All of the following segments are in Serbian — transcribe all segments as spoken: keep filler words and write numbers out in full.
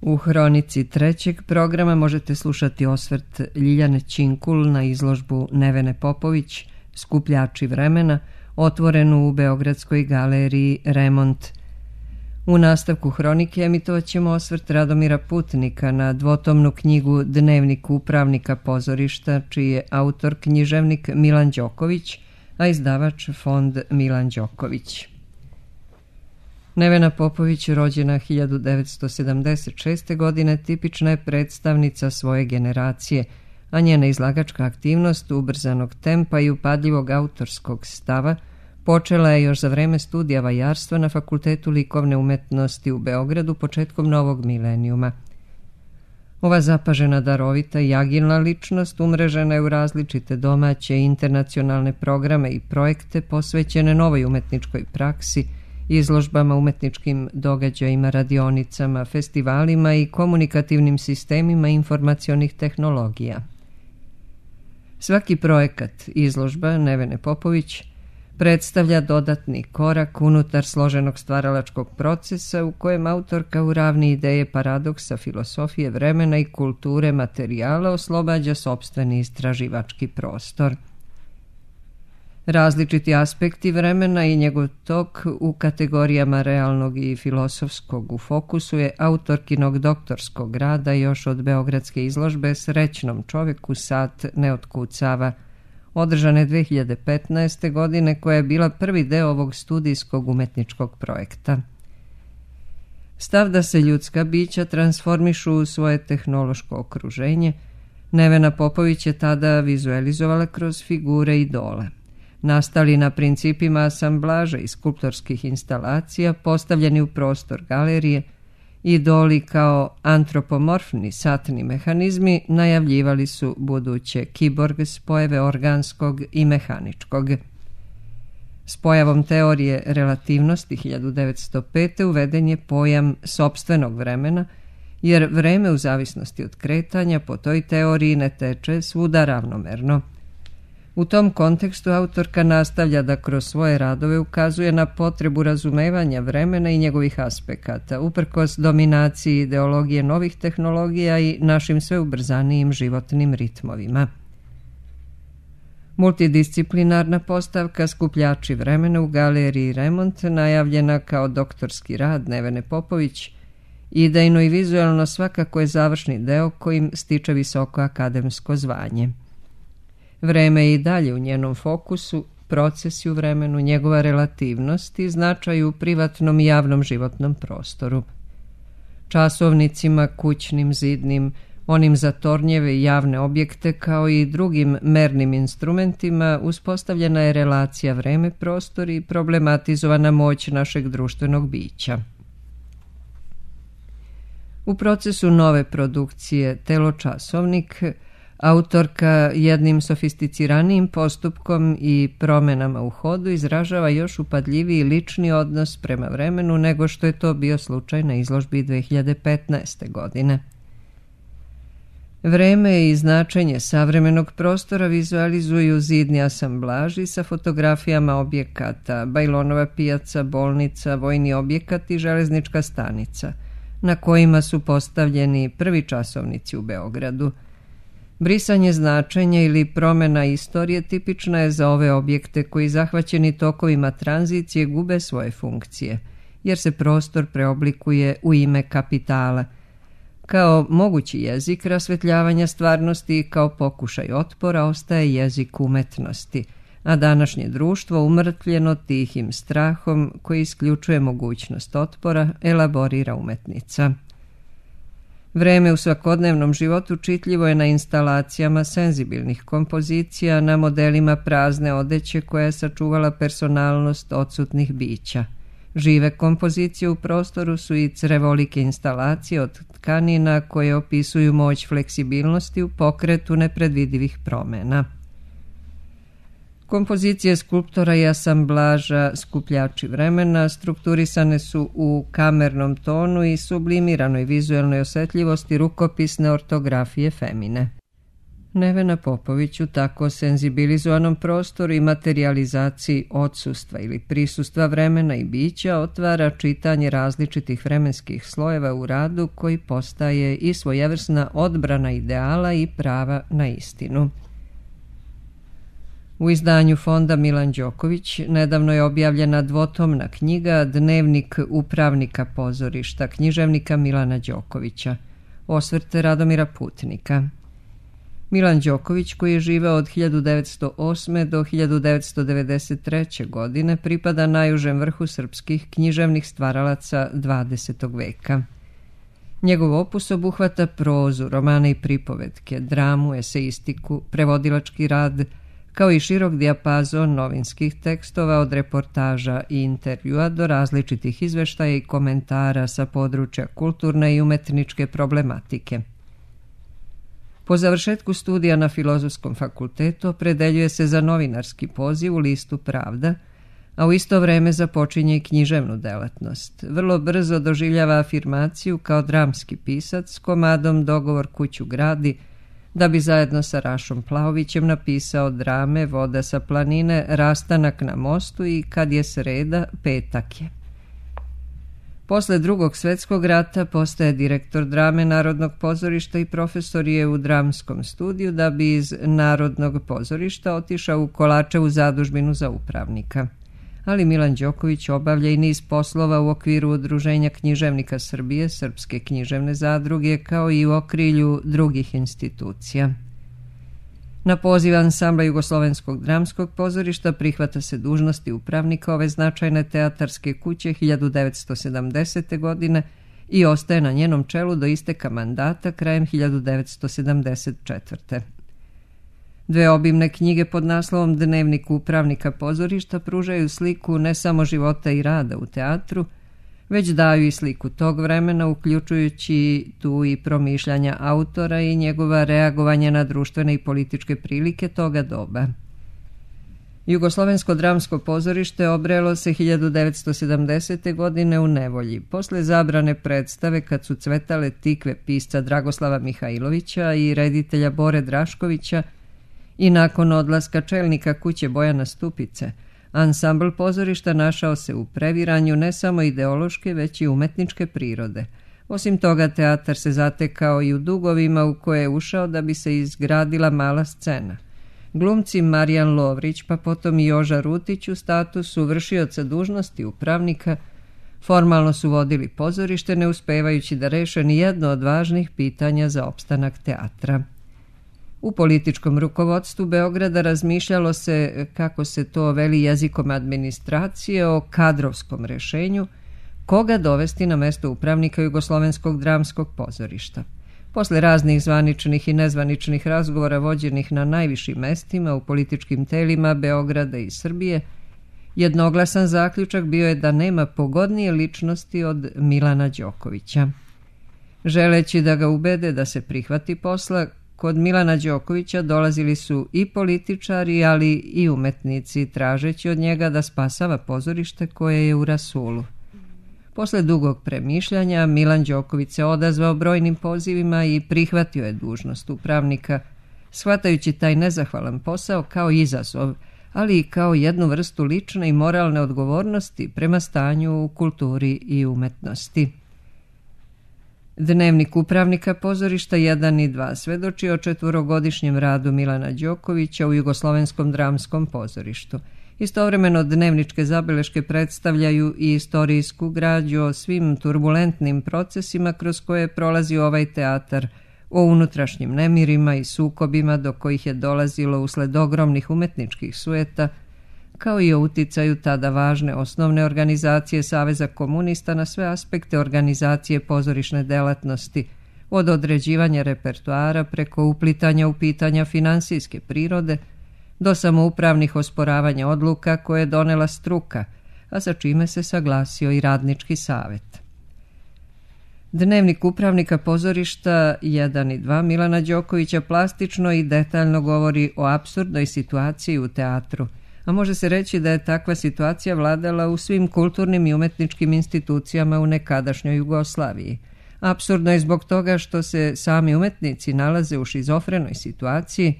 U hronici trećeg programa možete slušati osvrt Ljiljane Činkul na izložbu Nevene Popović Skupljači vremena, otvorenu u Beogradskoj galeriji Remont. U nastavku hronike emitovat ćemo osvrt Radomira Putnika na dvotomnu knjigu Dnevnik upravnika pozorišta, čiji je autor književnik Milan Đoković, a izdavač Fond Milan Đoković. Nevena Popović, rođena hiljadu devetsto sedamdeset šeste. godine, tipična je predstavnica svoje generacije, a njena izlagačka aktivnost ubrzanog tempa i upadljivog autorskog stava počela je još za vreme studija vajarstva na Fakultetu likovne umetnosti u Beogradu početkom novog milenijuma. Ova zapažena, darovita i agilna ličnost umrežena je u različite domaće i internacionalne programe i projekte posvećene novoj umetničkoj praksi, izložbama, umetničkim događajima, radionicama, festivalima i komunikativnim sistemima informacionih tehnologija. Svaki projekat izložba Nevene Popović predstavlja dodatni korak unutar složenog stvaralačkog procesa u kojem autorka u ravni ideje paradoksa, filosofije, vremena i kulture materijala oslobađa sopstveni istraživački prostor. Različiti aspekti vremena i njegov tok u kategorijama realnog i filosofskog u fokusu je autorkinog doktorskog rada još od beogradske izložbe Srećnom čoveku sat ne otkucava, održane dve hiljade petnaeste. godine, koja je bila prvi deo ovog studijskog umetničkog projekta. Stav da se ljudska bića transformišu u svoje tehnološko okruženje, Nevena Popović je tada vizualizovala kroz figure idola. Nastali na principima asamblaža i skulptorskih instalacija postavljeni u prostor galerije, idoli kao antropomorfni satni mehanizmi najavljivali su buduće kiborg spojeve organskog i mehaničkog. S pojavom teorije relativnosti hiljadu devetsto pete. uveden je pojam sopstvenog vremena, jer vreme u zavisnosti od kretanja po toj teoriji ne teče svuda ravnomerno. U tom kontekstu autorka nastavlja da kroz svoje radove ukazuje na potrebu razumevanja vremena i njegovih aspekata, uprkos dominaciji ideologije novih tehnologija i našim sve ubrzanijim životnim ritmovima. Multidisciplinarna postavka Skupljači vremena u galeriji Remont, najavljena kao doktorski rad Nevene Popović, idejno i vizualno svakako je završni deo kojim stiče visoko akademsko zvanje. Vreme je i dalje u njenom fokusu, procesi u vremenu, njegova relativnost i značaj u privatnom i javnom životnom prostoru. Časovnicima, kućnim, zidnim, onim za tornjeve i javne objekte kao i drugim mernim instrumentima uspostavljena je relacija vreme-prostor i problematizovana moć našeg društvenog bića. U procesu nove produkcije Teločasovnik autorka jednim sofisticiranijim postupkom i promenama u hodu izražava još upadljiviji lični odnos prema vremenu nego što je to bio slučaj na izložbi dve hiljade petnaeste. godine. Vreme i značenje savremenog prostora vizualizuju zidni asamblaži sa fotografijama objekata, Bajlonova pijaca, bolnica, vojni objekat i železnička stanica, na kojima su postavljeni prvi časovnici u Beogradu. Brisanje značenja ili promena istorije tipična je za ove objekte koji zahvaćeni tokovima tranzicije gube svoje funkcije, jer se prostor preoblikuje u ime kapitala, kao mogući jezik rasvetljavanja stvarnosti i kao pokušaj otpora ostaje jezik umetnosti, a današnje društvo umrtvljeno tihim strahom koji isključuje mogućnost otpora elaborira umetnica. Vreme u svakodnevnom životu čitljivo je na instalacijama senzibilnih kompozicija, na modelima prazne odeće koja je sačuvala personalnost odsutnih bića. Žive kompozicije u prostoru su i crevolike instalacije od tkanina koje opisuju moć fleksibilnosti u pokretu nepredvidivih promena. Kompozicije skulptora i asamblaža Skupljači vremena strukturisane su u kamernom tonu i sublimiranoj vizuelnoj osetljivosti rukopisne ortografije Femine. Nevena Popović u tako senzibilizovanom prostoru i materijalizaciji odsustva ili prisustva vremena i bića otvara čitanje različitih vremenskih slojeva u radu koji postaje i svojevrsna odbrana ideala i prava na istinu. U izdanju Fonda Milan Đoković nedavno je objavljena dvotomna knjiga Dnevnik upravnika pozorišta, književnika Milana Đokovića, osvrte Radomira Putnika. Milan Đoković, koji je živeo od hiljadu devetsto osme. do hiljadu devetsto devedeset treće. godine, pripada najužem vrhu srpskih književnih stvaralaca dvadesetog veka. Njegov opus obuhvata prozu, romane i pripovetke, dramu, eseistiku, prevodilački rad, kao i širok dijapazon novinskih tekstova od reportaža i intervjua do različitih izveštaja i komentara sa područja kulturne i umetničke problematike. Po završetku studija na Filozofskom fakultetu opredeljuje se za novinarski poziv u listu Pravda, a u isto vreme započinje i književnu delatnost. Vrlo brzo doživljava afirmaciju kao dramski pisac s komadom Dogovor kuću gradi, da bi zajedno sa Rašom Plaovićem napisao drame Voda sa planine, Rastanak na mostu i Kad je sreda, petak je. Posle Drugog svjetskog rata postaje direktor drame Narodnog pozorišta i profesor je u dramskom studiju, da bi iz Narodnog pozorišta otišao u Kolačevu zadužbinu za upravnika. Ali Milan Đoković obavlja i niz poslova u okviru Udruženja književnika Srbije, Srpske književne zadruge, kao i u okrilju drugih institucija. Na poziv ansambla Jugoslovenskog dramskog pozorišta prihvata se dužnosti upravnika ove značajne teatarske kuće hiljadu devetsto sedamdesete. godine i ostaje na njenom čelu do isteka mandata krajem hiljadu devetsto sedamdeset četvrte. Dve obimne knjige pod naslovom Dnevnik upravnika pozorišta pružaju sliku ne samo života i rada u teatru, već daju i sliku tog vremena, uključujući tu i promišljanja autora i njegova reagovanja na društvene i političke prilike toga doba. Jugoslovensko dramsko pozorište obrelo se hiljadu devetsto sedamdesete. godine u nevolji, posle zabrane predstave Kad su cvetale tikve pisca Dragoslava Mihajlovića i reditelja Bore Draškovića i nakon odlaska čelnika kuće Bojana Stupice. Ansambl pozorišta našao se u previranju ne samo ideološke, već i umetničke prirode. Osim toga, teatar se zatekao i u dugovima u koje je ušao da bi se izgradila mala scena. Glumci Marijan Lovrić, pa potom i Joža Rutić u statusu vršioca dužnosti upravnika, formalno su vodili pozorište, ne uspevajući da reše ni jedno od važnih pitanja za opstanak teatra. U političkom rukovodstvu Beograda razmišljalo se, kako se to veli jezikom administracije, o kadrovskom rešenju, koga dovesti na mesto upravnika Jugoslovenskog dramskog pozorišta. Posle raznih zvaničnih i nezvaničnih razgovora vođenih na najvišim mestima u političkim telima Beograda i Srbije, jednoglasan zaključak bio je da nema pogodnije ličnosti od Milana Đokovića. Želeći da ga ubede da se prihvati posla, kod Milana Đokovića dolazili su i političari, ali i umetnici, tražeći od njega da spasava pozorište koje je u rasulu. Posle dugog premišljanja, Milan Đoković se odazvao brojnim pozivima i prihvatio je dužnost upravnika, shvatajući taj nezahvalan posao kao izazov, ali i kao jednu vrstu lične i moralne odgovornosti prema stanju u kulturi i umetnosti. Dnevnik upravnika pozorišta jedan i dva svedoči o četvorogodišnjem radu Milana Đokovića u Jugoslovenskom dramskom pozorištu. Istovremeno dnevničke zabeleške predstavljaju i istorijsku građu o svim turbulentnim procesima kroz koje prolazi ovaj teatar, o unutrašnjim nemirima i sukobima do kojih je dolazilo usled ogromnih umetničkih sujeta, kao i o uticaju tada važne osnovne organizacije Saveza komunista na sve aspekte organizacije pozorišne delatnosti, od određivanja repertoara preko uplitanja u pitanja finansijske prirode, do samoupravnih osporavanja odluka koje je donela struka, a sa čime se saglasio i radnički savet. Dnevnik upravnika pozorišta jedan i dva Milana Đokovića plastično i detaljno govori o apsurdnoj situaciji u teatru, a može se reći da je takva situacija vladala u svim kulturnim i umetničkim institucijama u nekadašnjoj Jugoslaviji, Apsurdno je zbog toga što se sami umetnici nalaze u šizofrenoj situaciji,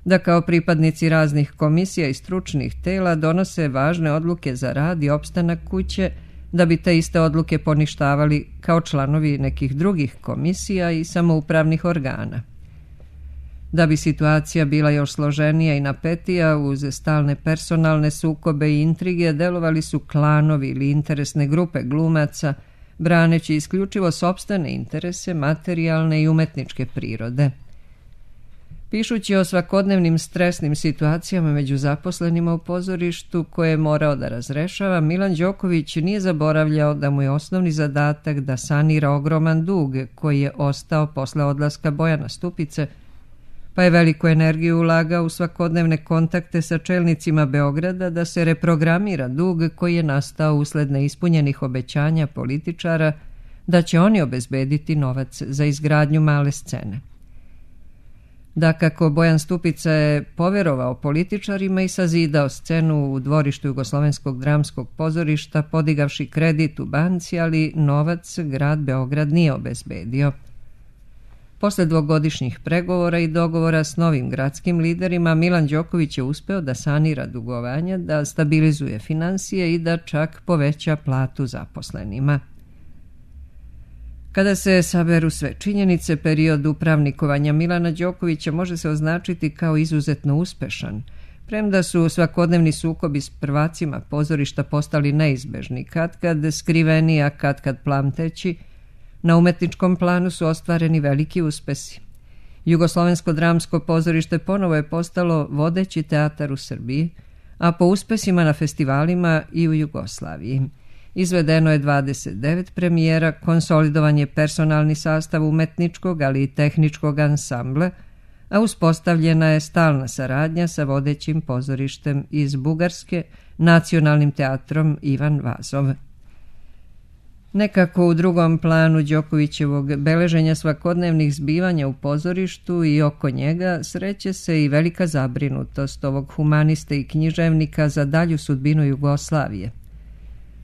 da kao pripadnici raznih komisija i stručnih tela donose važne odluke za rad i opstanak kuće, da bi te iste odluke poništavali kao članovi nekih drugih komisija i samoupravnih organa. Da bi situacija bila još složenija i napetija, uz stalne personalne sukobe i intrige delovali su klanovi ili interesne grupe glumaca, braneći isključivo sopstvene interese, materijalne i umetničke prirode. Pišući o svakodnevnim stresnim situacijama među zaposlenima u pozorištu koje je morao da razrešava, Milan Đoković nije zaboravljao da mu je osnovni zadatak da sanira ogroman dug koji je ostao posle odlaska Bojana Stupice, pa je veliku energiju ulagao u svakodnevne kontakte sa čelnicima Beograda da se reprogramira dug koji je nastao usled neispunjenih obećanja političara da će oni obezbediti novac za izgradnju male scene. Dakako, Bojan Stupica je poverovao političarima i sazidao scenu u dvorištu Jugoslovenskog dramskog pozorišta, podigavši kredit u banci, ali novac grad Beograd nije obezbedio. Posle dvogodišnjih pregovora i dogovora s novim gradskim liderima, Milan Đoković je uspeo da sanira dugovanja, da stabilizuje finansije i da čak poveća platu zaposlenima. Kada se saberu sve činjenice, period upravnikovanja Milana Đokovića može se označiti kao izuzetno uspešan, premda su svakodnevni sukobi s prvacima pozorišta postali neizbežni, katkad skriveni, a katkad plamteći. Na umetničkom planu su ostvareni veliki uspesi. Jugoslovensko dramsko pozorište ponovo je postalo vodeći teatar u Srbiji, a po uspesima na festivalima i u Jugoslaviji. Izvedeno je dvadeset devet premijera, konsolidovan je personalni sastav umetničkog, ali i tehničkog ansambla, a uspostavljena je stalna saradnja sa vodećim pozorištem iz Bugarske, Nacionalnim teatrom Ivan Vazov. Nekako u drugom planu Đokovićevog beleženja svakodnevnih zbivanja u pozorištu i oko njega sreće se i velika zabrinutost ovog humaniste i književnika za dalju sudbinu Jugoslavije.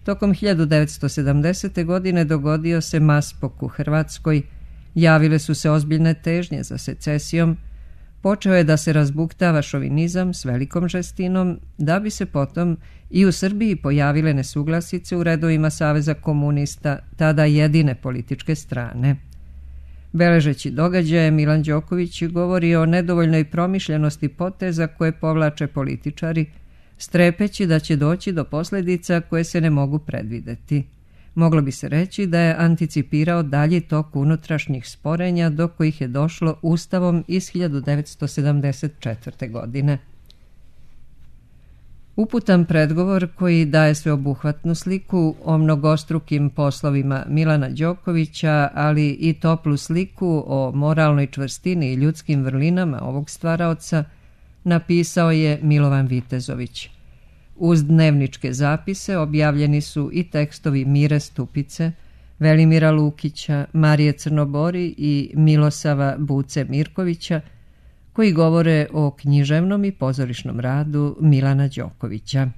Tokom hiljadu devetsto sedamdesete. godine dogodio se maspok u Hrvatskoj, javile su se ozbiljne težnje za secesijom, počeo je da se razbuktava šovinizam s velikom žestinom, da bi se potom i u Srbiji pojavile nesuglasice u redovima Saveza komunista, tada jedine političke strane. Beležeći događaje, Milan Đoković govori o nedovoljnoj promišljenosti poteza koje povlače političari, strepeći da će doći do posljedica koje se ne mogu predvideti. Moglo bi se reći da je anticipirao dalji tok unutrašnjih sporenja do kojih je došlo Ustavom iz hiljadu devetsto sedamdeset četvrte. godine. Uputan predgovor koji daje sveobuhvatnu sliku o mnogostrukim poslovima Milana Đokovića, ali i toplu sliku o moralnoj čvrstini i ljudskim vrlinama ovog stvaraoca, napisao je Milovan Vitezović. Uz dnevničke zapise objavljeni su i tekstovi Mire Stupice, Velimira Lukića, Marije Crnobori i Milosava Buce Mirkovića, koji govore o književnom i pozorišnom radu Milana Đokovića.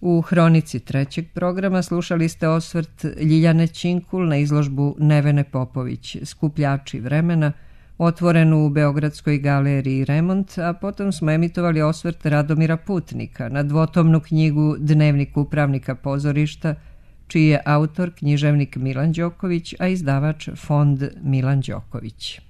U hronici trećeg programa slušali ste osvrt Ljiljane Činkul na izložbu Nevene Popović, Skupljači vremena, otvorenu u Beogradskoj galeriji Remont, a potom smo emitovali osvrt Radomira Putnika na dvotomnu knjigu Dnevnik upravnika pozorišta, čiji je autor književnik Milan Đoković, a izdavač Fond Milan Đoković.